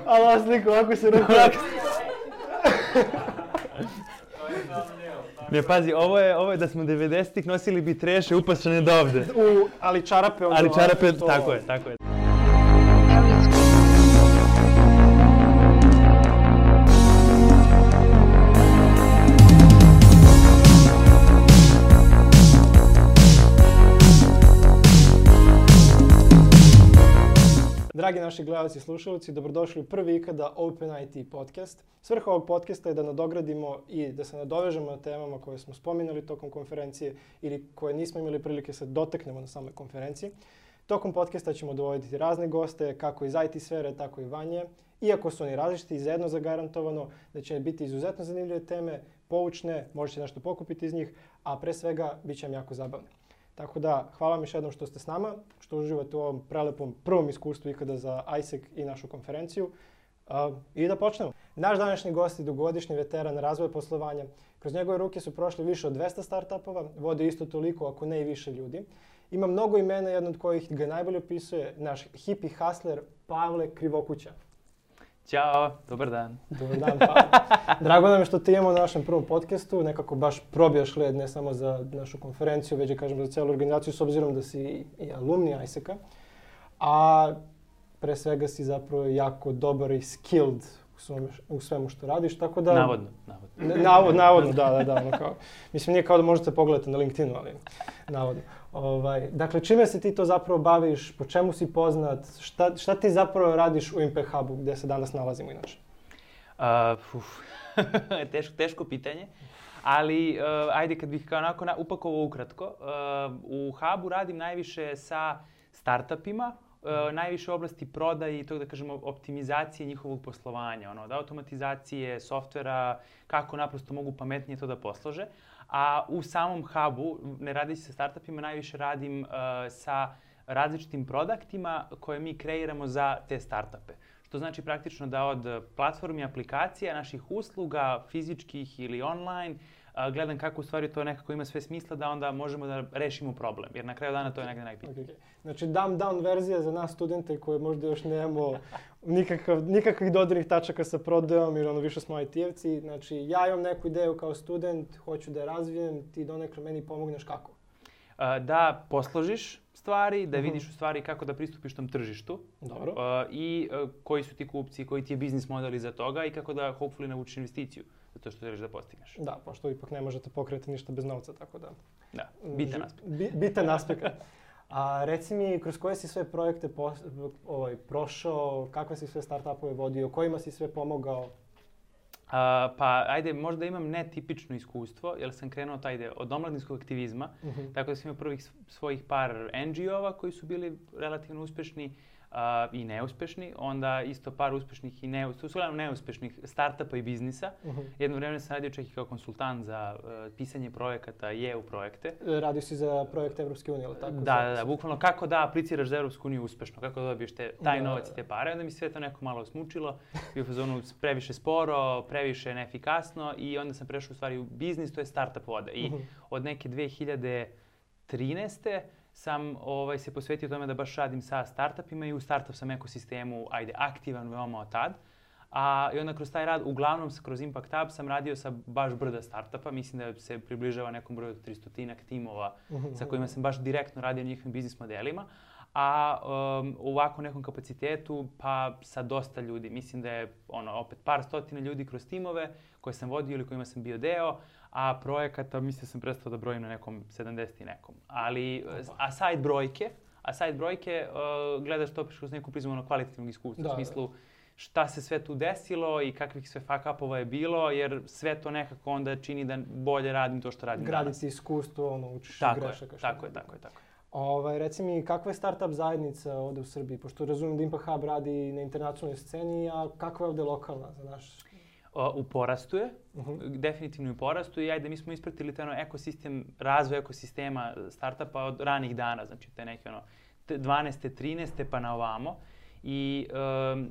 Ali ova slika ovako se ruku. Ne, pazi, ovo je da smo 90-ih nosili bi treše upašene do ovde. Ali čarape... Ali čarape, tako je. Dragi naši gledalci i slušalci, dobrodošli u prvi ikada Open IT podcast. Svrha ovog podcasta je da nadogradimo i da se nadovežemo na temama koje smo spominjali tokom konferencije ili koje nismo imali prilike se dotaknemo na samoj konferenciji. Tokom podcasta ćemo dovoditi razne goste, kako iz IT sfere, tako i vanje. Iako su oni različiti, zajedno zagarantovano da će biti izuzetno zanimljive teme, poučne, možete nešto pokupiti iz njih, a pre svega bit će vam jako zabavne. Tako da, hvala vam još jednom što ste s nama, što uživate u ovom prelepom prvom iskustvu ikada za ISEC i našu konferenciju. I da počnemo. Naš današnji gost je dugogodišnji veteran razvoja poslovanja. Kroz njegove ruke su prošli više od 200 startupova, vodi isto toliko, ako ne i više ljudi. Ima mnogo imena, jedan od kojih ga najbolje opisuje naš hippie hustler Pavle Krivokuća. Ćao, dobar dan. Dobar dan, Pavle. Drago nam je što te imamo na našem prvom podcastu, nekako baš probijaš led ne samo za našu konferenciju, već i kažem za celu organizaciju, s obzirom da si i alumni ISEC-a. A pre svega si zapravo jako dobar i skilled u svemu što radiš, tako da... Navodno, da. Ono kao, mislim, nije kao da možete pogledati na LinkedInu, ali navodno. Dakle, čime se ti to zapravo baviš, po čemu si poznat, šta ti zapravo radiš u Impact Hubu gdje se danas nalazimo inače? Teško pitanje, ali ajde kad bih kao onako upakovao ukratko. U Hubu radim najviše sa startupima, najviše u oblasti prodaje i tog da kažemo optimizacije njihovog poslovanja, od automatizacije, softvera, kako naprosto mogu pametnije to da poslože. A u samom Hubu, ne radi se sa startupima, najviše radim sa različitim produktima koje mi kreiramo za te startupe. Što znači praktično da od platformi aplikacija, naših usluga, fizičkih ili online, gledam kako u stvari to nekako ima sve smisla da onda možemo da rešimo problem. Jer na kraju dana to je negdje najbitnije. Okay. Znači dumb down verzija za nas studente koje možda još nemamo nikakvih dodirnih tačaka sa prodajom ili više smo IT-evci. Znači ja imam neku ideju kao student, hoću da je razvijem, ti donekle meni pomogneš kako? Da posložiš stvari, da vidiš u stvari kako da pristupiš tom tržištu. Dobro. I koji su ti kupci, koji ti je biznis model iza toga i kako da hopefully navučiš investiciju za to što želiš da postigneš. Da, pošto ipak ne možete pokreati ništa bez novca, tako da... Da, bitan aspekt. Bitan aspekt. A reci mi, kroz koje si sve projekte prošao, kakve si sve startupove vodio, kojima si sve pomogao? Pa ajde, možda imam netipično iskustvo, jer sam krenuo od omladinskog aktivizma, tako da sam imao prvih svojih par NGO-ova koji su bili relativno uspešni i neuspešni, onda isto par uspešnih i neuspešnih startupa i biznisa. Jedno vreme sam radio čak i kao konsultant za pisanje projekata i EU projekte. Radio si za projekt Evropske unije, ali tako? Da, bukvalno kako da apliciraš za Evropsku uniju uspešno, kako da dobiješ taj novac i te pare. Onda mi sve to neko malo smučilo, bio u fazonu previše sporo, previše neefikasno i onda sam prešao u stvari u biznis, to je startup voda. I od neke 2013. sam se posvetio tome da baš radim sa startupima i u startup sam ekosistemu, aktivan veoma od tad. I onda kroz taj rad, uglavnom kroz Impact Hub sam radio sa baš brda startupa. Mislim da se približava nekom broju 300-ak timova sa kojima sam baš direktno radio na njihovim biznis modelima. A u ovako nekom kapacitetu pa sa dosta ljudi. Mislim da je opet par stotina ljudi kroz timove koje sam vodio ili kojima sam bio deo, a projekata mislim da sam prestao da brojim na nekom 70 i nekom. A side brojke gledaš to kroz neku prizmu kvalitativnog iskustva. U smislu šta se sve tu desilo i kakvih sve fuck-upova je bilo, jer sve to nekako onda čini da bolje radim to što radim danas. Graditi iskustvo, učiš grešaka. Tako je. Reci mi, kakva je startup zajednica ovdje u Srbiji? Pošto razumijem da Impact Hub radi na internacionalnoj sceni, a kakva je ovdje lokalna za naš... U porastu je, definitivno u porastu i mi smo ispratili taj razvoj ekosistema startupa od ranih dana, znači te neke 12. 13. pa na ovamo. I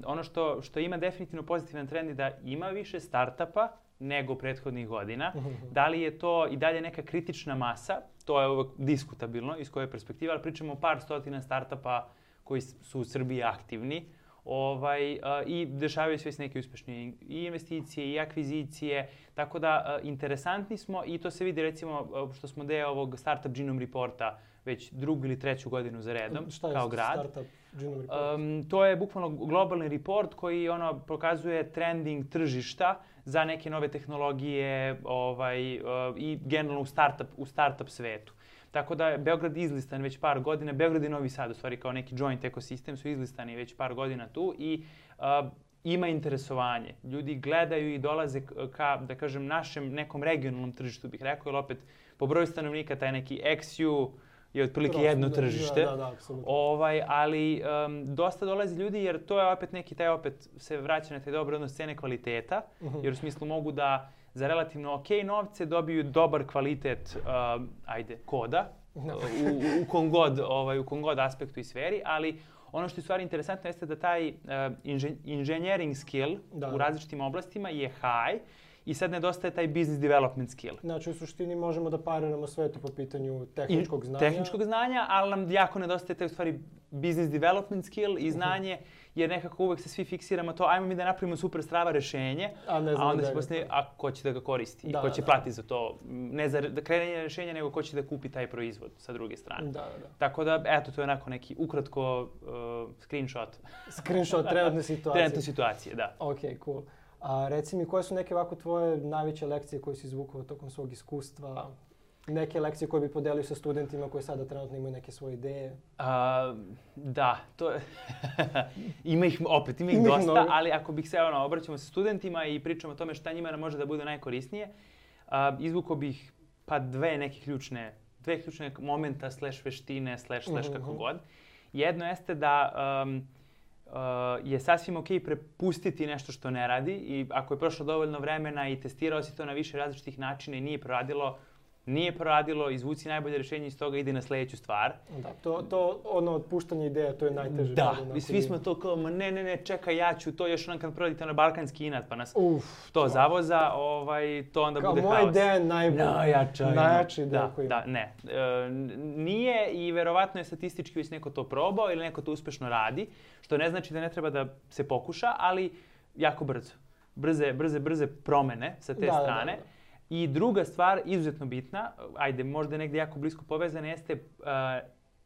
ono što ima definitivno pozitivan trend je da ima više startupa nego prethodnih godina. Da li je to i dalje neka kritična masa, to je uvek diskutabilno iz koje perspektive, ali pričamo o par stotina startupa koji su u Srbiji aktivni. I dešavaju se neke uspešne i investicije i akvizicije, tako da interesantni smo i to se vidi recimo što smo deo ovog Startup Genome Reporta već drugu ili treću godinu za redom kao grad. Šta je Startup Genome Report? To je bukvalno globalni report koji pokazuje trending tržišta za neke nove tehnologije i generalno u startup svetu. Tako da je Beograd izlistan već par godina. Beograd i Novi Sad, u stvari kao neki joint ekosistem, su izlistani već par godina tu i ima interesovanje. Ljudi gledaju i dolaze ka, da kažem, našem nekom regionalnom tržištu, bih rekao, jer opet po broju stanovnika taj neki XU je otprilike jedno tržište. Da, apsolutno. Ali dosta dolazi ljudi jer to je opet neki, taj opet se vraća na taj dobar odnos cene kvaliteta, jer u smislu mogu da za relativno ok novce dobiju dobar kvalitet koda u kom god aspektu i sferi, ali ono što je u stvari interesantno jeste da taj engineering skill u različitim oblastima je high i sad nedostaje taj business development skill. Znači u suštini možemo da pariramo sve to po pitanju tehničkog znanja. Tehničkog znanja, ali nam jako nedostaje taj u stvari business development skill i znanje, jer nekako uvek se svi fiksiramo to, ajmo mi da napravimo super strava rešenje, a onda se poslije, ko će da ga koristi, ko će platiti za to, ne za kreiranje rešenja, nego ko će da kupi taj proizvod sa druge strane. Tako da, eto, to je onako neki ukratko screenshot. Screenshot trenutne situacije. Trenutne situacije, da. Ok, cool. A reci mi, koje su neke ovako tvoje najveće lekcije koje si izvukao tokom svog iskustva? Neke lekcije koje bi podelio sa studentima koji sada trenutno imaju neke svoje ideje? Da, to je... ima ih dosta, ali ako bih se obraćamo sa studentima i pričamo o tome šta njima može da bude najkorisnije, izvukao bih dve ključne momenta / veštine / kako god. Jedno jeste da je sasvim ok prepustiti nešto što ne radi i ako je prošlo dovoljno vremena i testirao si to na više različitih načina i nije proradilo, izvuci najbolje rješenje iz toga, ide na sljedeću stvar. Da, to otpuštanje ideja, to je najteže. Da, i svi smo to kao, ne, čekaj, ja ću to još kad proradite na balkanski inat, pa nas to zavoza, to onda bude haos. Kao moja ideja je najjača ideja koju ima. Da, ne. Nije i verovatno je statistički već neko to probao ili neko to uspešno radi, što ne znači da ne treba da se pokuša, ali jako brzo. Brze promene sa te strane. I druga stvar, izuzetno bitna, možda negdje jako blisko povezana, jeste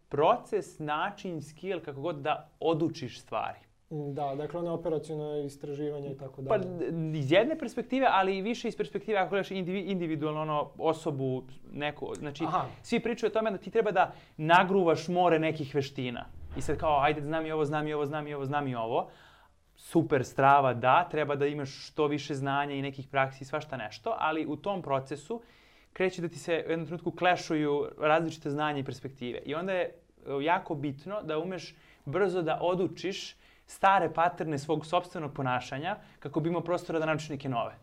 proces, način, skill, kako god da odučiš stvari. Da, dakle ono operacionalno istraživanje i tako dalje. Pa iz jedne perspektive, ali i više iz perspektive, ako gledaš individualno osobu neku, znači svi pričaju o tome da ti treba da nagruvaš more nekih veština. I sad kao, znam i ovo. Super strava, da, treba da imaš što više znanja i nekih praksi i svašta nešto, ali u tom procesu kreće da ti se u jednom trenutku klešuju različite znanja i perspektive. I onda je jako bitno da umeš brzo da odučiš stare paterne svog sopstvenog ponašanja kako bi imao prostora da naučiš neke nove.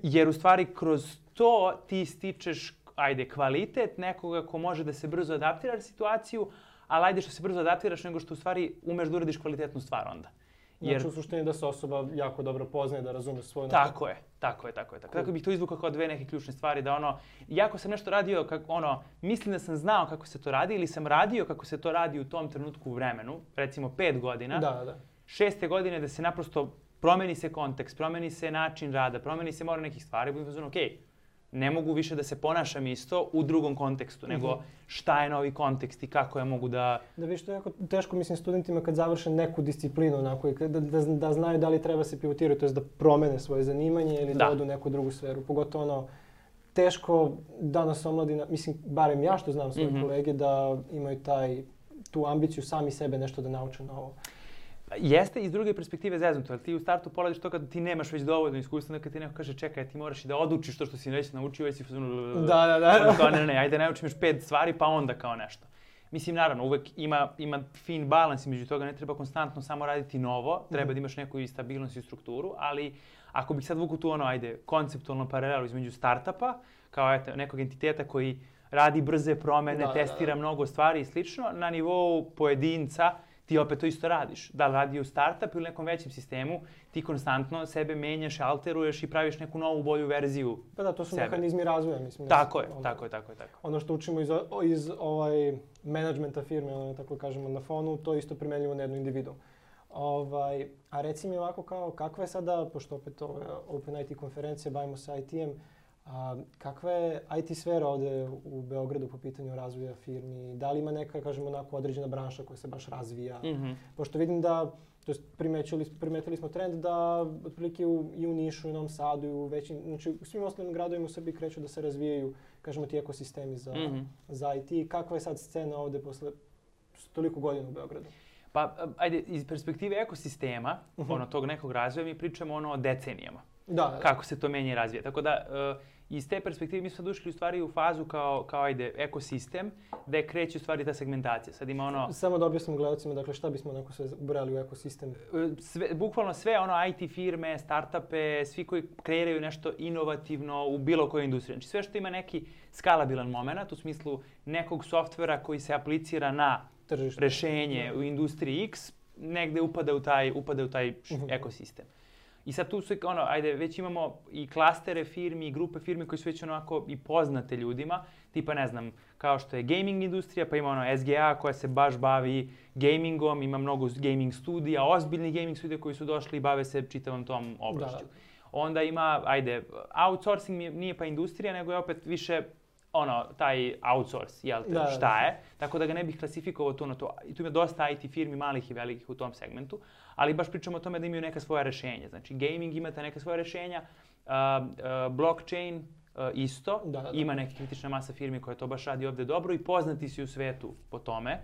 Jer u stvari kroz to ti stičeš kvalitet nekoga ko može da se brzo adaptira na situaciju, ali što se brzo adaptiraš nego što u stvari umeš da uradiš kvalitetnu stvar onda. Znači u suštini da se osoba jako dobro poznaje, da razume svoju... Tako je. Tako bih to izvukao kao dve neke ključne stvari, da jako sam nešto radio, mislim da sam znao kako se to radi ili sam radio kako se to radi u tom trenutku u vremenu, recimo 5 godina. Da. 6. godine da se naprosto promeni se kontekst, promeni se način rada, promeni se mora nekih stvari, budem fazon, ne mogu više da se ponašam isto u drugom kontekstu, nego šta je novi kontekst i kako ja mogu da... Da viš, to je jako teško, mislim, studentima kad završe neku disciplinu, onako, da znaju da li treba se pivotirati, to je da promene svoje zanimanje ili da odu u neku drugu sferu. Pogotovo teško danas omladina, mislim, barem ja što znam svoje kolege, da imaju tu ambiciju sami sebe nešto da nauče novo. Jeste iz druge perspektive zeznuto, ali ti u startu poladiš to kada ti nemaš već dovoljno iskustva, kada ti neko kaže čekaj, ti moraš i da odučiš to što si već naučio, već si Da. Ne, ajde naučim još 5 stvari pa onda kao nešto. Mislim, naravno, uvek ima fin balans između toga, ne treba konstantno samo raditi novo, treba da imaš neku i stabilnost i strukturu, ali ako bih sad vuku tu konceptualno paralelu između startupa, kao nekog entiteta koji radi brze promene, testira mnogo stvari i slično, na nivou pojedinca, ti opet to isto radiš. Da li radi u startup ili nekom većem sistemu, ti konstantno sebe menjaš, alteruješ i praviš neku novu, bolju verziju sebe. Pa da, to su mehanizmi razvoja, mislim. Tako je. Ono što učimo iz menadžmenta firme, tako kažemo na fonu, to isto primenljivo na jednu individu. A reci mi ovako kao, kakva je sada, pošto opet ovo je Open IT konferencija, bavimo se IT-em, kakva je IT sfera ovde u Beogradu po pitanju razvoja firmi? Da li ima neka, kažemo, onako određena branša koja se baš razvija? Pošto vidim da, to jest primetili smo trend da otprilike i u Nišu, i u Novom Sadu, i u većim, znači u svim ostalim gradovima u Srbiji kreću da se razvijaju, kažemo, ti ekosistemi za IT. Kakva je sad scena ovde posle toliko godina u Beogradu? Pa, ajde, iz perspektive ekosistema, tog nekog razvoja, mi pričamo o decenijama. Da. Kako se to menja i razvija. Tako da, iz te perspektive mi smo sad ušli u stvari u fazu kao ekosistem, gde kreće u stvari ta segmentacija. Sad ima Samo da objasnim gledalcima, dakle, šta bismo onako sve ubrali u ekosistem? Bukvalno sve IT firme, startupe, svi koji kreiraju nešto inovativno u bilo kojoj industriji. Znači sve što ima neki skalabilan moment, u smislu nekog softvera koji se aplicira na rešenje u industriji X, negde upada u taj ekosistem. I sad tu su, već imamo i klastere firmi i grupe firmi koji su već onako i poznate ljudima, tipa, ne znam, kao što je gaming industrija, pa ima SGA koja se baš bavi gamingom, ima mnogo gaming studija, ozbiljnih gaming studija koji su došli i bave se čitavom tom oblašću. Onda ima, outsourcing nije pa industrija, nego je opet više taj outsource, šta je, tako da ga ne bih klasifikovao tu na to. I tu ima dosta IT firmi, malih i velikih u tom segmentu, ali baš pričamo o tome da imaju neka svoja rešenja. Znači, gaming imate neka svoja rešenja, blockchain isto, ima neka kritična masa firmi koja to baš radi ovde dobro i poznati su u svetu po tome.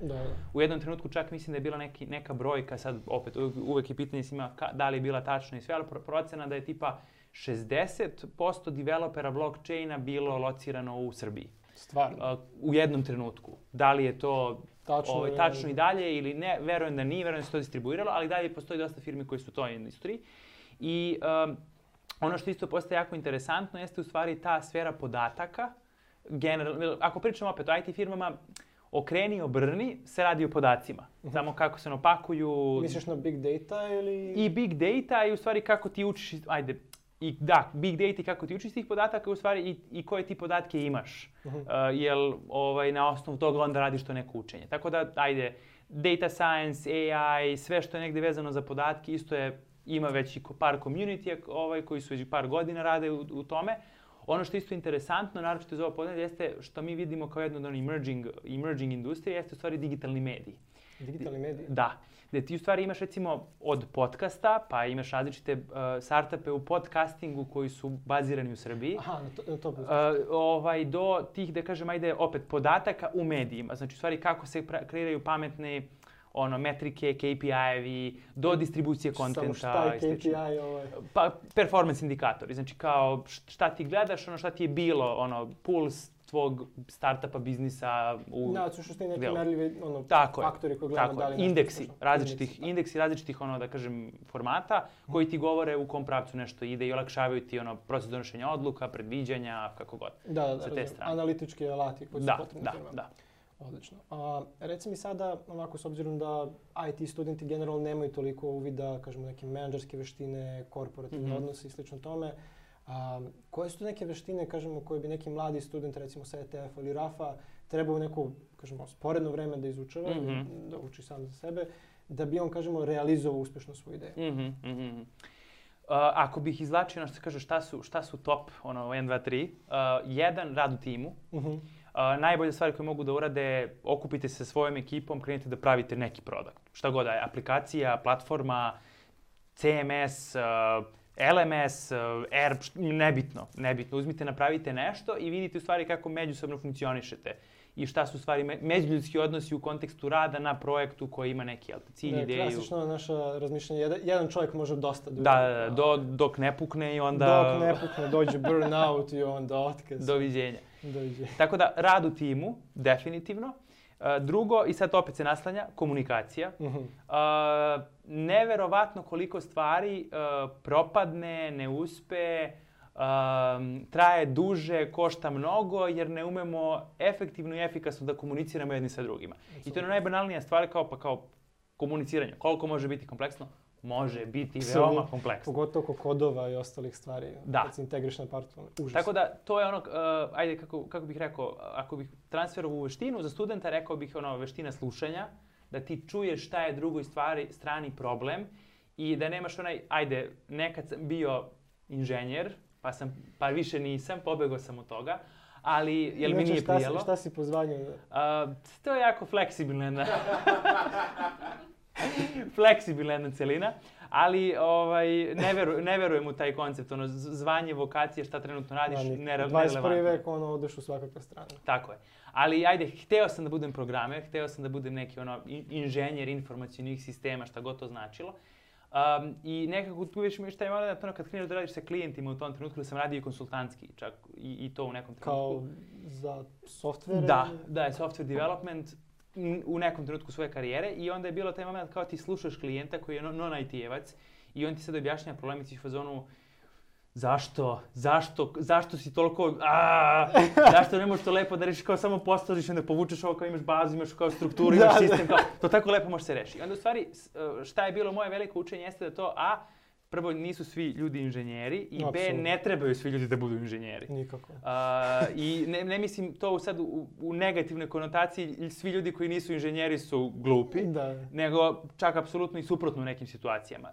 U jednom trenutku čak mislim da je bila neka brojka, sad opet uvek je pitanje svima da li je bila tačna i sve, ali procena da je tipa 60% developera blockchaina bilo locirano u Srbiji. Stvarno? U jednom trenutku. Da li je to tačno i dalje ili ne, verujem da nije, verujem da se to distribuiralo, ali dalje postoji dosta firmi koji su u toj industriji. I ono što isto postaje jako interesantno jeste u stvari ta sfera podataka. Ako pričamo opet o IT firmama, okreni, obrni, se radi o podacima. Samo kako se opakuju. Misliš na big data ili? I big data i u stvari kako ti učiš, big data i kako ti učiš tih podataka u stvari i koje ti podatke imaš. Jel na osnovu toga onda radiš to neko učenje. Tako da, data science, AI, sve što je negde vezano za podatke, isto ima već i par community koji su već par godina rade u tome. Ono što je isto interesantno, naročito iz ovog podnetlja, jeste što mi vidimo kao jedno od emerging industrije, jeste u stvari digitalni mediji. Digitalni mediji? Da. Gde ti u stvari imaš recimo od podcasta, pa imaš različite startupe u podcastingu koji su bazirani u Srbiji. Aha, na to do tih, da kažem, opet podataka u medijima. Znači u stvari kako se kreiraju pametne metrike, KPI-evi, do distribucije kontenta. Samo šta je KPI Pa performance indikatori. Znači kao šta ti gledaš, šta ti je bilo, puls tvog startupa, biznisa u... Da, su što je neki merljivi faktori koji gledamo da li indeksi različitih, da kažem, formata koji ti govore u kom pravcu nešto ide i olakšavaju ti proces donošenja odluka, predviđanja, kako god. Da, analitički alati koji su potrebni firmama. Da. Odlično. Reci mi sada, ovako, s obzirom da IT studenti generalno nemaju toliko uvida, kažemo, neke menadžerske veštine, korporativne odnose i slično tome, koje su to neke veštine, kažemo, koje bi neki mladi student, recimo sa ETF-a ili RAF-a, trebao u neko, kažemo, sporedno vreme da izučava, da uči sam za sebe, da bi on, kažemo, realizovao uspešno svoju ideju? Ako bih izvlačio, što se kaže, šta su top, 1, 2, 3, jedan, rad u timu. Najbolja stvar koju mogu da urade, okupite se sa svojom ekipom, krenite da pravite neki produkt. Šta god da je, aplikacija, platforma, CMS, LMS, ERP, nebitno. Uzmite, napravite nešto i vidite u stvari kako međusobno funkcionišete i šta su u stvari međuljudski odnosi u kontekstu rada na projektu koji ima neki cilj, ideju. Klasično naša razmišljanja, jedan čovjek može dosta da dok ne pukne i onda... Dok ne pukne, dođe burnout i onda otkaz. Doviđenja. Tako da, rad u timu, definitivno. Drugo, i sad opet se naslanja, komunikacija. Neverovatno koliko stvari propadne, ne uspe, traje duže, košta mnogo, jer ne umemo efektivno i efikasno da komuniciramo jedni sa drugima. I to je najbanalnija stvar kao komuniciranje. Koliko može biti kompleksno? Može biti veoma kompleksno. Pogotovo oko kodova i ostalih stvari. Da. Kad se integriš na partu, užas. Tako da, to je kako bih rekao, ako bih transferovao veštinu za studenta, rekao bih veština slušanja, da ti čuješ šta je drugoj strani problem i da nemaš onaj, ajde, nekad sam bio inženjer, pa više nisam, pobegao sam od toga, ali jel mi nije prijelo. Šta si po zvanju? To je jako fleksibilna fleksibilna celina, ali ne verujem u taj koncept, zvanje, vokacije, šta trenutno radiš, nerelevantno. 21. vek, odeš u svakakve strane. Tako je. Ali ajde, hteo sam da budem programer, hteo sam da budem neki inženjer informacionih sistema, šta god to značilo. I nekako tu već mi šta je malo to kad kreneš da radiš sa klijentima u tom trenutku, da sam radio i konsultantski, čak i to u nekom trenutku. Kao za softvere? Da, je software development u nekom trenutku svoje karijere i onda je bilo taj moment kao ti slušaš klijenta koji je non-IT-evac i on ti sad objašnjava problemi, ti u fazonu zašto si toliko, zašto ne možeš to lepo da rešiš kao samo postaviš, onda povučeš ovo kao imaš bazu, imaš kao strukturu, imaš sistem, kao, to tako lepo može se reši. I onda u stvari šta je bilo moje veliko učenje jeste da to prvo nisu svi ljudi inženjeri i B, ne trebaju svi ljudi da budu inženjeri. Nikako. I ne mislim to sad u negativnoj konotaciji, svi ljudi koji nisu inženjeri su glupi, nego čak apsolutno i suprotno u nekim situacijama.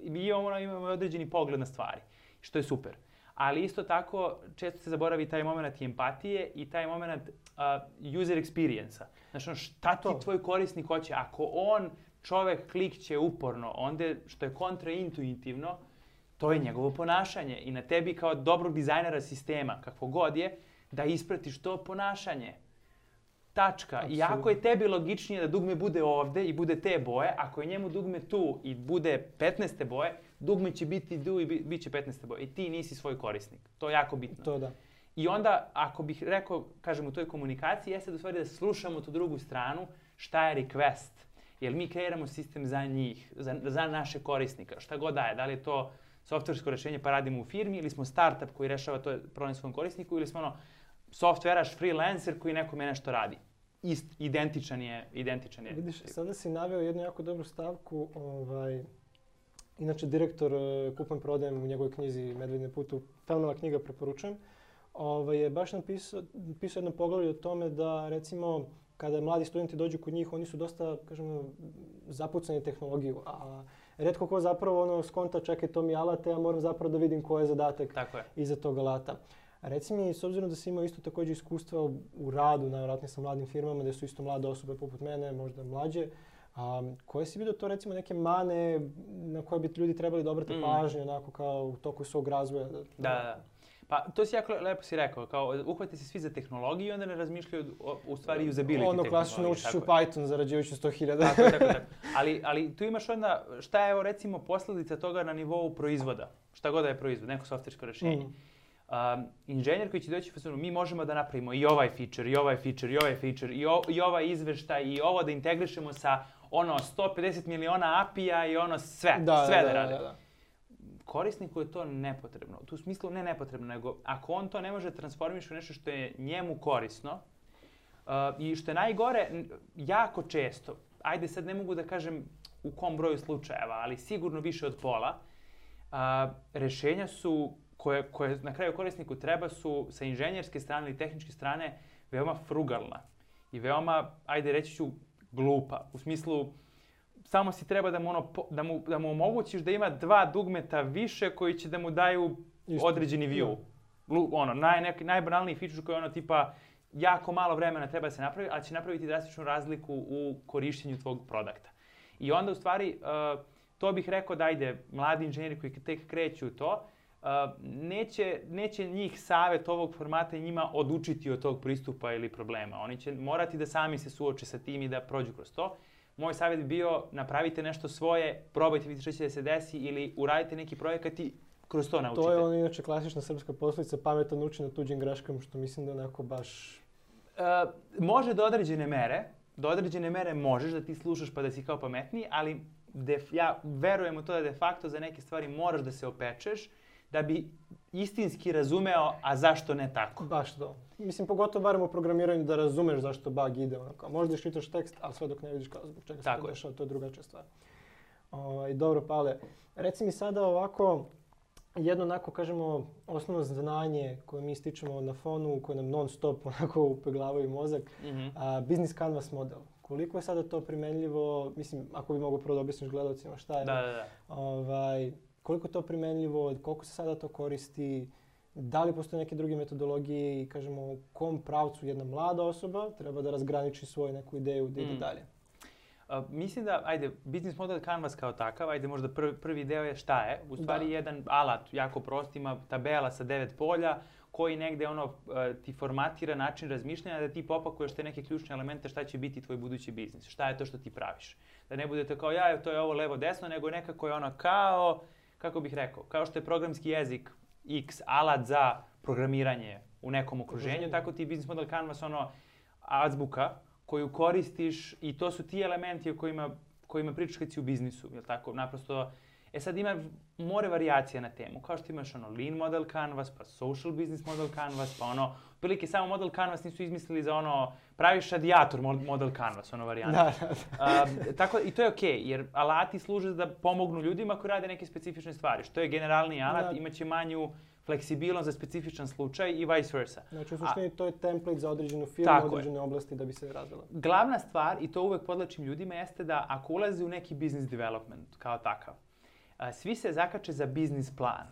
Mi imamo određeni pogled na stvari, što je super. Ali isto tako, često se zaboravi taj moment i empatije i taj moment user experience-a. Znači, šta ti tvoj korisnik hoće? Ako čovek klikće uporno, onda što je kontraintuitivno, to je njegovo ponašanje. I na tebi kao dobrog dizajnera sistema, kakvo god je, da ispratiš to ponašanje. Tačka. Absolutno. I ako je tebi logičnije da dugme bude ovde i bude te boje, ako je njemu dugme tu i bude 15. boje, dugme će biti tu i bit će 15. boje. I ti nisi svoj korisnik. To je jako bitno. To da. I onda, ako bih rekao, kažem, u toj komunikaciji, jeste da u stvari da slušamo tu drugu stranu, šta je request. Jer mi kreiramo sistem za njih, za naše korisnika, šta god daje. Da li je to softversko rešenje pa radimo u firmi ili smo startup koji rešava to problem svom korisniku ili smo softveraš, freelancer koji nekome nešto radi. Identičan je. Vidiš, sada si naveo jednu jako dobru stavku. Inače, direktor Kupujem prodajem u njegovoj knjizi Medvedine putu, fenomenalna knjiga, preporučujem, je baš napisao jedno poglavlje o tome da, recimo, kada mladi studenti dođu kod njih, oni su dosta, kažemo, zapucani tehnologiju, a retko ko zapravo skonta, čekaj, to mi je alat, ja moram zapravo da vidim koji je zadatak iza tog alata. Reci mi, s obzirom da si imao isto također iskustva u radu, najvjerojatnije sa mladim firmama, gde su isto mlade osobe poput mene, možda mlađe, koje si vidio to, recimo, neke mane na koje bi ljudi trebali da obrate pažnje, onako kao u toku svog razvoja? Da. Pa to si jako lepo si rekao, kao uhvate se svi za tehnologiju i onda ne razmišljaju u stvari usability tehnologije. Klasično naučiš u Python zarađujući 100.000. Tako. Ali tu imaš onda, šta je recimo posledica toga na nivou proizvoda? Šta god da je proizvod, neko softversko rešenje. Inženjer koji će doći u fazonu, mi možemo da napravimo i ovaj feature, i ovaj feature, i ovaj feature, i ovaj izveštaj, i ovo da integrišemo sa 150 miliona API-a i sve da rade. Korisniku je to nepotrebno. U smislu ne nepotrebno, nego ako on to ne može transformiš u nešto što je njemu korisno i što je najgore, jako često, ajde sad ne mogu da kažem u kom broju slučajeva, ali sigurno više od pola, rešenja su koje na kraju korisniku treba su sa inženjerske strane ili tehničke strane veoma frugalna i veoma, ajde reći ću, glupa. U smislu, samo si treba da mu omogućiš da ima 2 dugmeta više koji će da mu daju određeni view. Najbanalniji feature koji je tipa jako malo vremena treba da se napravi, ali će napraviti drastičnu razliku u korištenju tvog produkta. I onda u stvari, to bih rekao da mladi inženjeri koji tek kreću to, neće njih savjet ovog formata i njima odučiti od tog pristupa ili problema. Oni će morati da sami se suoče sa tim i da prođu kroz to. Moj savjet bi bio, napravite nešto svoje, probajte vidjeti što će da se desi ili uradite neki projekat i kroz to naučite. To je inače klasična srpska poslovica, pametan uči na tuđim greškama, što mislim da onako baš... Može do određene mere možeš da ti slušaš pa da si kao pametniji, ali ja verujem u to da de facto za neke stvari moraš da se opečeš da bi istinski razumeo, a zašto ne tako. Baš to. Mislim, pogotovo barem u programiranju da razumeš zašto bug ide. Možda iščitaš tekst, ali sve dok ne vidiš kao zbog čega se to dešava, to je drugačija stvar. Dobro, Pavle, reci mi sada ovako, jedno onako, kažemo, osnovno znanje koje mi stičemo na fonu, koje nam non stop onako upeglavaju mozak, business canvas model. Koliko je sada to primenljivo, mislim, ako bi mogo prvo da objasniš gledalcima šta je. Da. Koliko je to primenljivo, koliko se sada to koristi, da li postoje neke druge metodologije i kažemo u kom pravcu jedna mlada osoba treba da razgraniči svoju neku ideju da ide dalje? Mislim da, business model Canvas kao takav, možda prvi deo je šta je. U stvari jedan alat, jako prost, ima tabela sa 9 polja koji negde ti formatira način razmišljanja da ti popakuješ te neke ključne elemente šta će biti tvoj budući biznis, šta je to što ti praviš. Da ne budete kao to je ovo levo desno, nego nekako je kao, kako bih rekao, kao što je programski jezik X alat za programiranje u nekom okruženju, tako ti business model Canvas azbuka koju koristiš i to su ti elementi o kojima pričaš kad si u biznisu, jel tako? Naprosto, sad ima more varijacija na temu, kao što imaš lean model Canvas, pa social business model Canvas, pa otprilike samo model Canvas nisu izmislili za praviš radijator model Canvas, varijanta. Tako, i to je okej, jer alati služe da pomognu ljudima koji rade neke specifične stvari. Što je generalni alat, imaće manju fleksibilnost za specifičan slučaj i vice versa. Znači, u suštini to je template za određenu firmu, određene oblasti da bi se razvila. Glavna stvar, i to uvek podlačim ljudima, jeste da ako ulaze u neki business development kao takav, svi se zakače za business plan.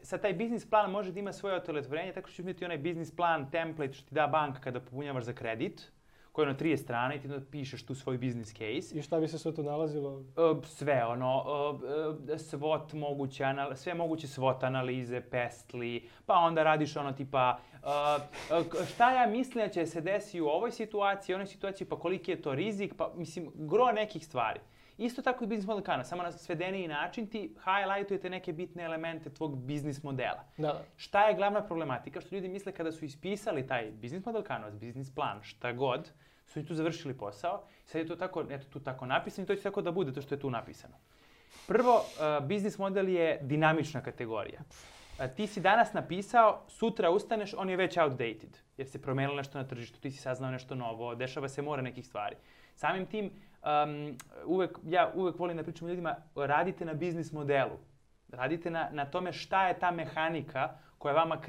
Sad taj business plan može da ima svoje otelotvorenje, tako što ćeš imati onaj business plan, template što ti da banka kada popunjavaš za kredit, koji je 30 strana i ti pišeš tu svoj business case. I šta bi se sve to nalazilo? Sve, SWOT moguće, sve moguće SWOT analize, PESTLI, pa onda radiš tipa šta ja mislim da će se desiti u ovoj situaciji, onoj situaciji, pa koliki je to rizik, pa mislim, gro nekih stvari. Isto tako i business model Canvas, samo na svedeniji način ti highlightujete neke bitne elemente tvog business modela. Da. Šta je glavna problematika? Što ljudi misle kada su ispisali taj business model Canvas, business plan, šta god, su i tu završili posao. Sad je to tako, tu tako napisano i to će tako da bude to što je tu napisano. Prvo, business model je dinamična kategorija. Ti si danas napisao, sutra ustaneš, on je već outdated, jer se promenilo nešto na tržištu, ti si saznao nešto novo, dešava se more nekih stvari. Samim tim, ja uvek volim da pričam ljudima, radite na biznis modelu. Radite na tome šta je ta mehanika koja vama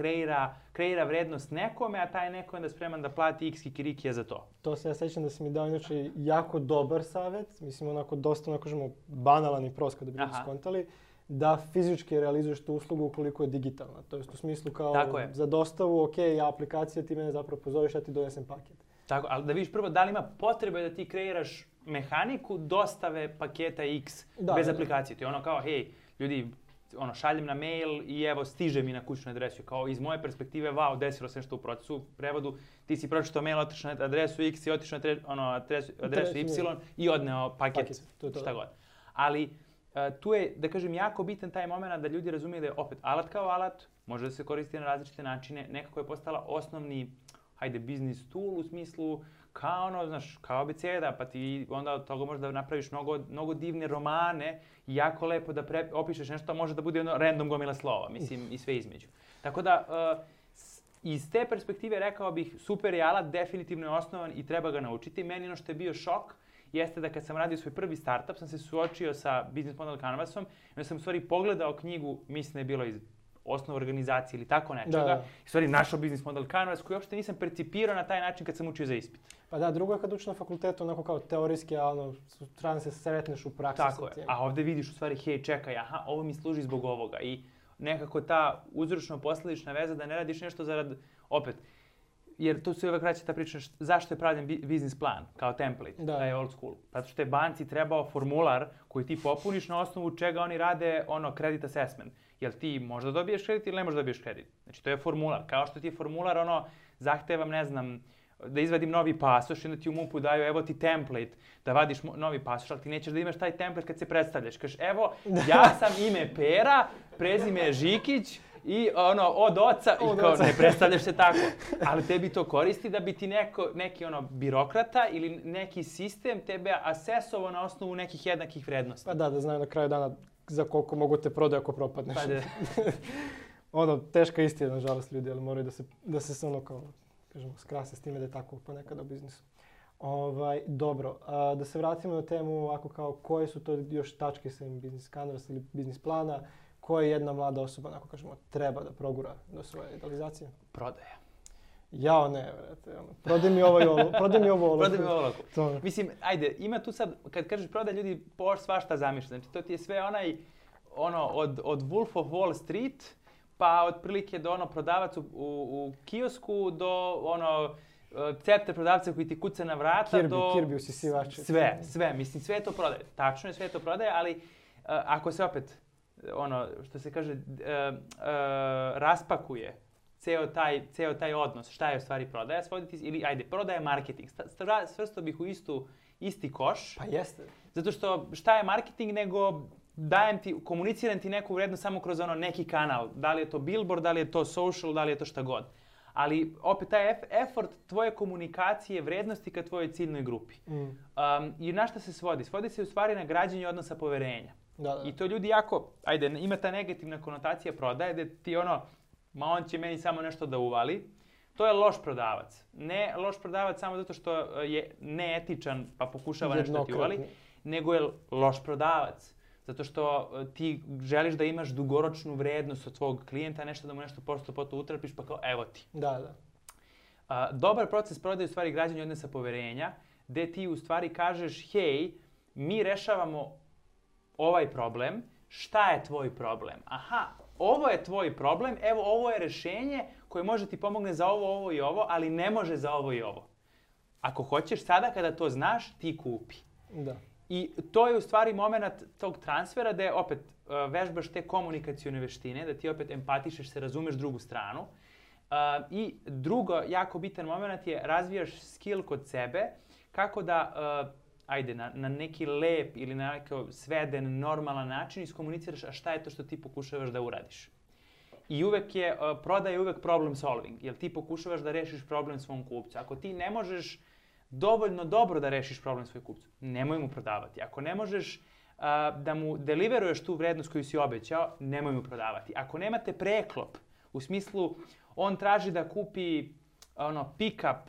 kreira vrednost nekome, a taj neko je onda spreman da plati x kikirikija za to. To se ja sećam da si mi dao inače jako dobar savjet, mislim dosta banalan i prost kada bi ljudi skontali, da fizički realizuješ tu uslugu ukoliko je digitalna. To jest u smislu kao za dostavu, aplikacija ti mene zapravo pozoveš, ja ti donesem paket. Tako, ali da vidiš prvo da li ima potrebe da ti kreiraš mehaniku dostave paketa X bez aplikacije. To je kao, hej, ljudi, šaljem na mail i evo stiže mi na kućnu adresu. Kao iz moje perspektive, wow, desilo se nešto u procesu, u prevodu, ti si pročitao mail, otišao na adresu X i otišao na adresu Y i odneo paket, šta god. Ali tu je, da kažem, jako bitan taj moment da ljudi razumiju da je opet alat kao alat, može da se koristi na različite načine, nekako je postala osnovni business tool u smislu kao abeceda, pa ti onda od toga možeš da napraviš mnogo divne romane i jako lepo da opišeš nešto, a može da bude random gomila slova, mislim, i sve između. Tako da, iz te perspektive rekao bih, super je alat, definitivno je osnovan i treba ga naučiti. Meni što je bio šok jeste da kad sam radio svoj prvi startup, sam se suočio sa business model Canvasom i onda sam u stvari pogledao knjigu, mislim da je bilo iz osnov organizacije ili tako nečega. U stvari našao business model Canvas koji uopšte nisam percipirao na taj način kad sam učio za ispit. Pa da, drugo je kad učiš na fakultetu onako kao teorijski, a treba se sretneš u praksi. Tako je, a ovde vidiš u stvari, hej, čekaj, ovo mi služi zbog ovoga. I nekako ta uzročno-posledična veza da ne radiš nešto zarad, opet, jer tu se uvek vraća ta priča zašto je pravljen biznis plan kao template, taj old school. Zato što je banci trebao formular koji ti popuniš na osnovu čega oni rade credit assessment. Jel ti možda dobiješ kredit ili ne možda dobiješ kredit? Znači to je formular. Kao što ti je formular zahtevam, ne znam, da izvadim novi pasoš i onda ti u MUP-u daju evo ti template da vadiš novi pasoš, ali ti nećeš da imaš taj template kad se predstavljaš. Kažeš evo ja sam ime Pera, prezime je Žikić i od oca i kao ne predstavljaš se tako. Ali tebi to koristi da bi ti neki birokrata ili neki sistem tebe asesovao na osnovu nekih jednakih vrednosti. Pa da znaju na kraju dana za koliko mogu te prodaju ako propadneš. Pa teška istina, nažalost, ljudi, ali moraju da se skrase s time da je tako ponekad u biznisu. Dobro, da se vratimo na temu ovako kao koje su to još tačke sa business canvas ili business plana, koje jedna mlada osoba, treba da progura do svoje idealizacije? Prodaja. Jao ne, vrate, prodaj mi ovo i ovo, prodaj mi ovo olovku. Prodaj mi ovo olovku. Mislim, ajde, ima tu sad, kad kažeš prodaj, ljudi svašta zamišlja. Znači, to ti je sve od Wolf of Wall Street, pa otprilike do prodavac u kiosku, do cepter prodavca koji ti kuca na vrata, Kirby usisivače. Sve, mislim, sve je to prodaje. Tačno je, sve je to prodaje, ali ako se opet, što se kaže, raspakuje ceo taj odnos, šta je u stvari prodaja, ili ajde, prodaja je marketing. Svrstao bih u isti koš. Pa jeste. Zato što šta je marketing nego komuniciram ti neku vrednost samo kroz neki kanal. Da li je to billboard, da li je to social, da li je to šta god. Ali opet taj effort tvoje komunikacije, vrednosti ka tvojoj ciljnoj grupi. I na šta se svodi? Svodi se u stvari na građenje odnosa poverenja. Da. I to ljudi jako, ima ta negativna konotacija prodaje, da ti on će meni samo nešto da uvali. To je loš prodavac. Ne loš prodavac samo zato što je neetičan pa pokušava nešto ti uvali, nego je loš prodavac. Zato što ti želiš da imaš dugoročnu vrednost od tvog klijenta, nešto da mu nešto posto utrpiš, pa kao evo ti. Da. Dobar proces prodaje u stvari građenje odnosa poverenja, gde ti u stvari kažeš, hej, mi rešavamo ovaj problem, šta je tvoj problem? Aha, ovo je tvoj problem, evo ovo je rešenje koje može ti pomogne za ovo i ovo, ali ne može za ovo i ovo. Ako hoćeš sada kada to znaš, ti kupi. Da. I to je u stvari moment tog transfera gde opet vežbaš te komunikacione veštine, da ti opet empatišeš se, razumeš drugu stranu. I drugo, jako bitan moment je razvijaš skill kod sebe kako da, na neki lep ili na neki sveden, normalan način iskomuniciraš šta je to što ti pokušavaš da uradiš. I prodaja je uvek problem solving, jer ti pokušavaš da rešiš problem svom kupcu. Ako ti ne možeš dovoljno dobro da rešiš problem svoj kupcu, nemoj mu prodavati. Ako ne možeš da mu deliveruješ tu vrednost koju si obećao, nemoj mu prodavati. Ako nemate preklop, u smislu on traži da kupi pick-up,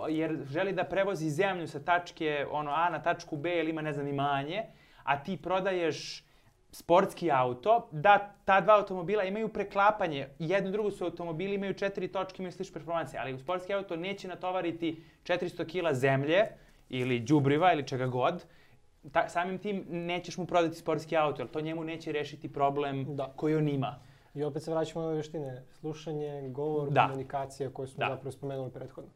jer želi da prevozi zemlju sa tačke A na tačku B ili ima imanje, a ti prodaješ sportski auto, da ta dva automobila imaju preklapanje, jedno i drugo su automobili, imaju 4 točke, imaju slične performanse, ali u sportski auto neće natovariti 400 kila zemlje ili đubriva ili čega god, samim tim nećeš mu prodati sportski auto, jer to njemu neće rešiti problem koji on ima. I opet se vraćamo na ove veštine, slušanje, govor, komunikacija koju smo zapravo spomenuli prethodno.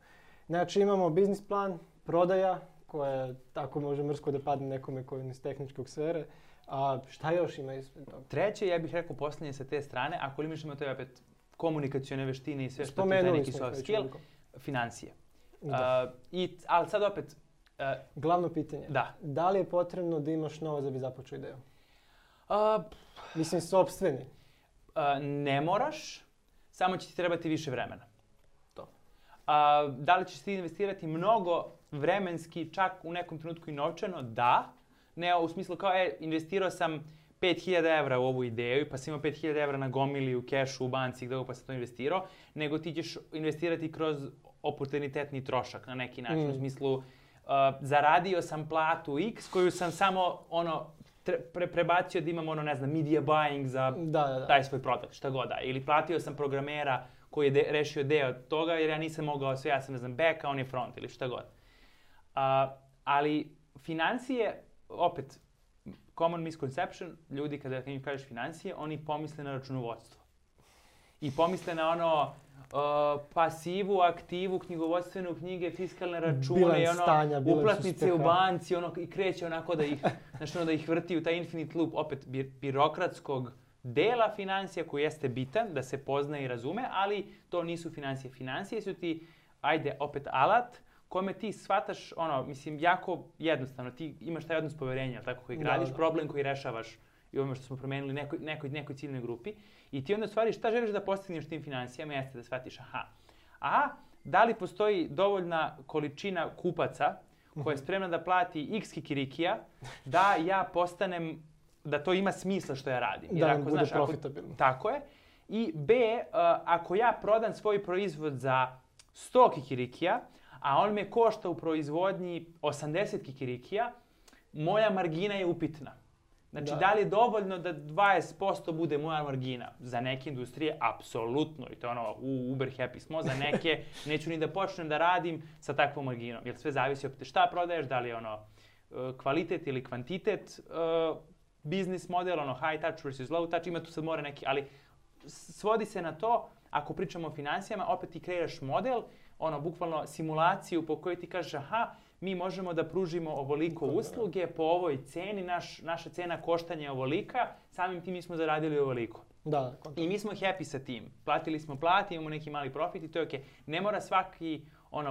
Znači imamo biznis plan, prodaja, koja tako može mrsko da padne nekome koji je iz tehničkog sfere. A šta još ima ispred toga? Treće, ja bih rekao poslednje sa te strane, ako li mišljamo to je opet komunikacione veštine i sve što ti je neki soft skill, financije. Ali sad opet... Glavno pitanje. Da li je potrebno da imaš novac da bi započeo ideju? Mislim, sopstveni. Ne moraš, samo će ti trebati više vremena. Da li ćeš ti investirati mnogo vremenski, čak u nekom trenutku i novčano? Da. Ne u smislu kao, investirao sam 5.000 evra u ovu ideju, pa sam imao 5.000 evra na gomili, u kešu, u banci, gde pa sam to investirao, nego ti ćeš investirati kroz oportunitetni trošak na neki način. U smislu, zaradio sam platu X koju sam samo prebacio da imam media buying za taj svoj produkt, šta god da. Ili platio sam programera koji je rešio deo toga jer ja nisam mogao sve, ja sam back, a on je front ili šta god. Ali financije, opet, common misconception, ljudi kada im kažeš financije, oni pomisle na računovodstvo. I pomisle na pasivu, aktivu, knjigovodstvenu knjige, fiskalne račune, uplatnice u banci, i kreće onako da ih vrti u taj infinite loop, opet birokratskog dela financija koji jeste bitan, da se poznaje i razume, ali to nisu financije. Financije su ti, opet alat, kome ti shvataš, jako jednostavno, ti imaš taj odnos poverenja, tako koji gradiš, problem koji rešavaš i ovome što smo promenili nekoj ciljnoj grupi. I ti onda stvari šta želiš da postigneš tim financijama jeste da shvatiš, da li postoji dovoljna količina kupaca koja je spremna da plati x kikirikija, da ja postanem, da to ima smisla što ja radim. Da nam bude profitabilno. Tako je. I B, ako ja prodam svoj proizvod za 100 kikirikija, a on me košta u proizvodnji 80 kikirikija, moja margina je upitna. Znači, da li je dovoljno da 20% bude moja margina? Za neke industrije, apsolutno. I to je ono, Uber happy smo. Za neke, neću ni da počnem da radim sa takvom marginom. Jer sve zavisi od šta prodaješ, da li je ono kvalitet ili kvantitet, biznis model, ono high touch versus low touch, ima tu sad more neki, ali svodi se na to, ako pričamo o financijama, opet ti kreiraš model, ono, bukvalno simulaciju po kojoj ti kažeš, aha, mi možemo da pružimo ovoliko usluge po ovoj ceni, naša cena koštanja je ovolika, samim tim mi smo zaradili ovoliko. Da. I mi smo happy sa tim. Platili smo plati, imamo neki mali profit i to je okej. Ne mora svaki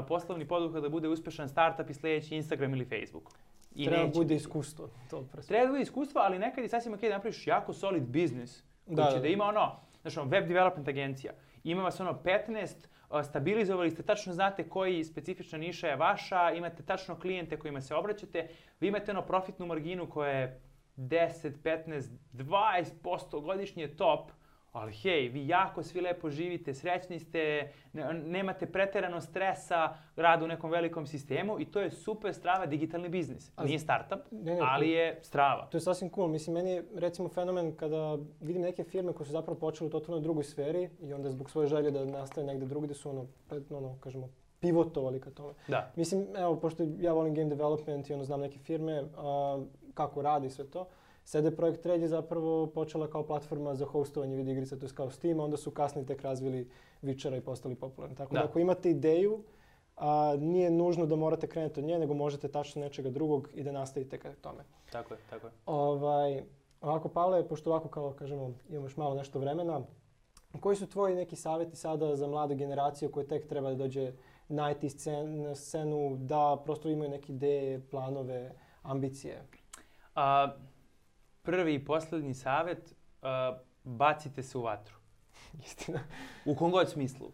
poslovni poduhvat da bude uspešan startup i sljedeći Instagram ili Facebook. Treba da bude iskustvo. Treba da bude iskustvo, ali nekad je sasvim okej da napraviš jako solid biznis. Koji će da ima web development agencija. Ima vas 15, stabilizovali ste, tačno znate koji specifična niša je vaša, imate tačno klijente kojima se obraćate, vi imate profitnu marginu koja je 10, 15, 20% godišnje top, ali hej, vi jako svi lepo živite, srećni ste, nemate preterano stresa, rada u nekom velikom sistemu i to je super strava digitalni biznis. Nije startup, ali je strava. To je sasvim cool. Mislim, meni je recimo fenomen kada vidim neke firme koje su zapravo počele u totalno drugoj sferi i onda zbog svoje želje da nastave negde drugdje su kažemo, pivotovali ka tome. Da. Mislim, evo, pošto ja volim game development i znam neke firme, kako radi sve to, CD Projekt Red je zapravo počela kao platforma za hostovanje video igrica, to je kao Steam, a onda su kasnije tek razvili Witchera i postali popularni. Tako da ako imate ideju, nije nužno da morate krenuti od nje, nego možete tačno nečega drugog i da nastavite ka tome. Tako je. Ovako, Pavle, pošto ovako kao kažemo imamo još malo nešto vremena, koji su tvoji neki savjeti sada za mladu generaciju koja tek treba da dođe na IT scenu, da prosto imaju neke ideje, planove, ambicije? Prvi i posljednji savjet, bacite se u vatru. Istina. U kom god smislu.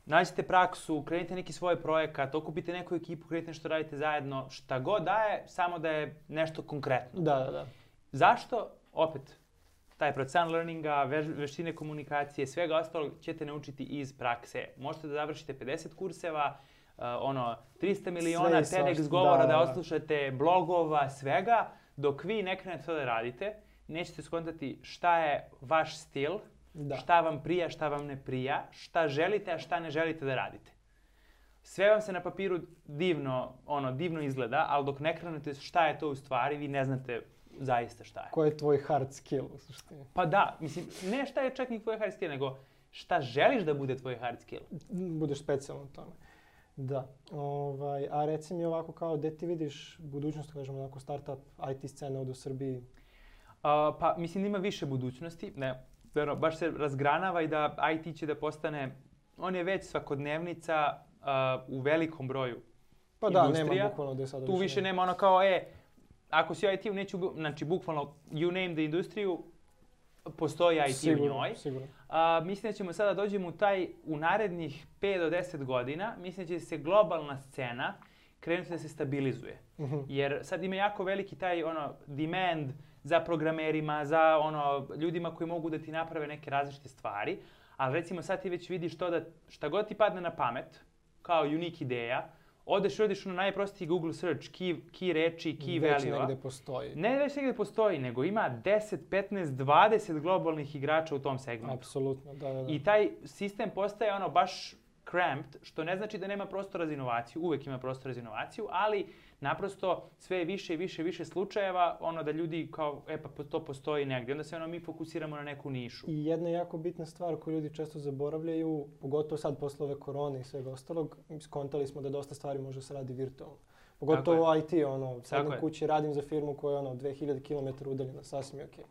Nađite praksu, krenite neki svoj projekat, okupite neku ekipu, krenite nešto radite zajedno, šta god daje, samo da je nešto konkretno. Da. Zašto? Opet, taj proces learninga, veštine komunikacije, svega ostalog ćete naučiti iz prakse. Možete da završite 50 kurseva, 300 miliona TEDx govora da oslušate, blogova, svega, dok vi ne krenete to da radite, nećete skontati šta je vaš stil, šta vam prija, šta vam ne prija, šta želite, a šta ne želite da radite. Sve vam se na papiru divno izgleda, ali dok ne krenete šta je to u stvari, vi ne znate zaista šta je. Koji je tvoj hard skill u suštini? Pa da, mislim, ne šta je čak ni tvoj hard skill, nego šta želiš da bude tvoj hard skill. Budeš specijalan u tome. Da. A reci mi ovako kao, gdje ti vidiš budućnost, kažemo, onako startup IT scena ovdje u Srbiji? Pa mislim ima više budućnosti. Baš se razgranava i da IT će da postane, on je već svakodnevnica u velikom broju industrija. Pa da, nema bukvalno gdje sada tu više nema kao, ako si u IT-u, znači bukvalno you name the industriju, postoji IT u njoj. Sigurno. Mislim da ćemo sada dođemo u narednih 5 do 10 godina, mislim da će se globalna scena krenuti da se stabilizuje. Jer sad ima jako veliki taj demand za programerima, za ljudima koji mogu da ti naprave neke različite stvari, ali recimo sad ti već vidiš to da šta god ti padne na pamet, kao unique ideja, odeš na najprostiji Google search, key reči, key value-a. Već negdje postoji. Ne već negdje postoji, nego ima 10, 15, 20 globalnih igrača u tom segmentu. Apsolutno, da. I taj sistem postaje baš cramped, što ne znači da nema prostora za inovaciju, uvek ima prostora za inovaciju, ali naprosto sve je više i više slučajeva da ljudi kao, pa to postoji negdje. Onda se mi fokusiramo na neku nišu. I jedna jako bitna stvar koju ljudi često zaboravljaju, pogotovo sad posle ove korone i svega ostalog, skontali smo da dosta stvari može se radi virtualno. Pogotovo IT, sad na kući radim za firmu koja je 2000 km udaljena, sasvim je okej.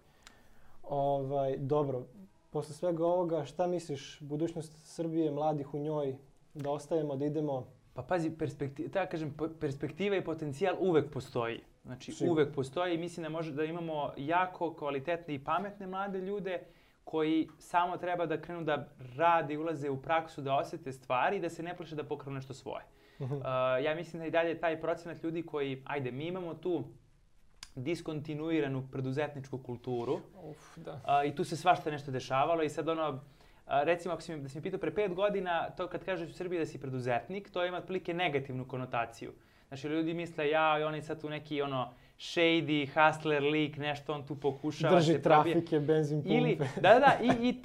Dobro, posle svega ovoga, šta misliš, budućnost Srbije, mladih u njoj, da ostajemo, da idemo? Pa pazi, perspektiva i potencijal uvek postoji. Znači, uvek postoji i mislim da imamo jako kvalitetne i pametne mlade ljude koji samo treba da krenu da rade i ulaze u praksu, da osjete stvari i da se ne plaše da pokrenu nešto svoje. Ja mislim da i dalje taj procenat ljudi koji, mi imamo tu diskontinuiranu preduzetničku kulturu i tu se svašta nešto dešavalo i sad recimo, ako da si mi pitao pre 5 godina, to kad kažeš u Srbiji da si preduzetnik, to ima otprilike negativnu konotaciju. Znači, ljudi misle, oni sad tu neki shady, hustler lik, nešto on tu pokušava drži se probije. trafike, benzin pumpe. Ili,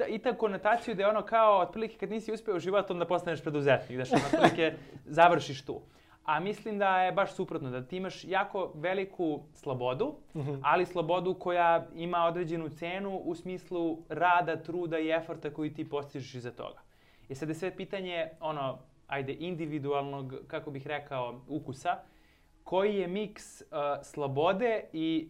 i ta konotaciju da je ono kao, otprilike kad nisi uspeo u životu, onda postaneš preduzetnik, da što otprilike završiš tu. A mislim da je baš suprotno, da ti imaš jako veliku slobodu, ali slobodu koja ima određenu cenu u smislu rada, truda i eforta koji ti postižeš iza toga. I sad je sve pitanje, individualnog, kako bih rekao, ukusa, koji je miks slobode i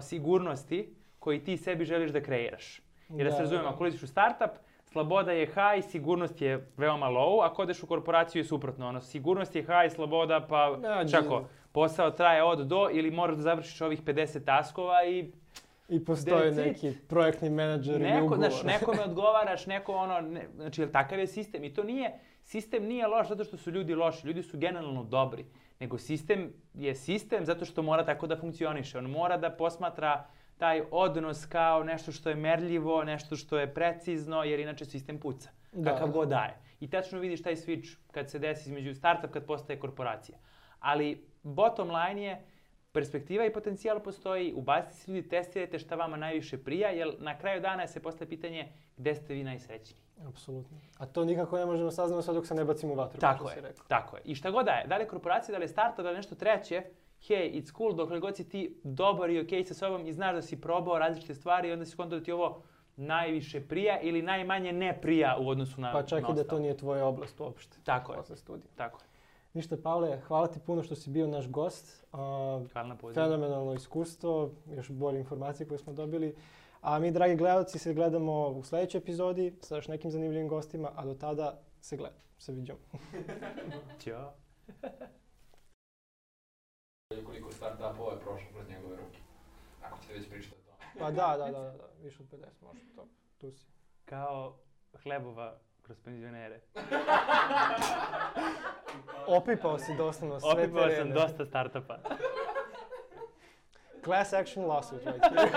sigurnosti koji ti sebi želiš da kreiraš. Jer da se razumemo, ako uđeš u startup, sloboda je high, sigurnost je veoma low, ako odeš u korporaciju je suprotno. Sigurnost je high, sloboda pa čako, posao traje od do ili moraš da završiš ovih 50 taskova I postoji neki projektni menadžer ili ugovor. Nekome odgovaraš, znači takav je sistem. I sistem nije loš zato što su ljudi loši, ljudi su generalno dobri. Nego sistem je sistem zato što mora tako da funkcioniše. On mora da posmatra taj odnos kao nešto što je merljivo, nešto što je precizno, jer inače sistem puca. Kakav god daje. I tačno vidiš taj switch kad se desi između startup, kad postaje korporacija. Ali bottom line je, perspektiva i potencijal postoji, ubacite se ljudi, testirajte šta vama najviše prija, jer na kraju dana se postaje pitanje gde ste vi najsrećniji. Apsolutno. A to nikako ne možemo saznati sve dok se ne bacimo u vatru. Tako je. I šta god da je li korporacija, da li je startup, da li nešto treće, hey, it's cool, dokle god si ti dobar i okej sa sobom i znaš da si probao različite stvari i onda si kontao da ti ovo najviše prija ili najmanje ne prija u odnosu na pa čak i da to nije tvoja oblast uopšte. Tako je. Ništa, Pavle, hvala ti puno što si bio naš gost. Hvala na pozivu. Fenomenalno iskustvo, još bolje informacije koje smo dobili. A mi, dragi gledalci, se gledamo u sljedećoj epizodi sa još nekim zanimljivim gostima, a do tada se viđamo. Ćao. Koliko startupova je prošlo kroz njegove ruke? Ako ćete već pričati o tome. Pa da, više od 50 može, tu si. Kao hlebova kroz penzionere. Opipao si doslovno sve terene. Opipao sam dosta startupa. Class action lawsuit right here.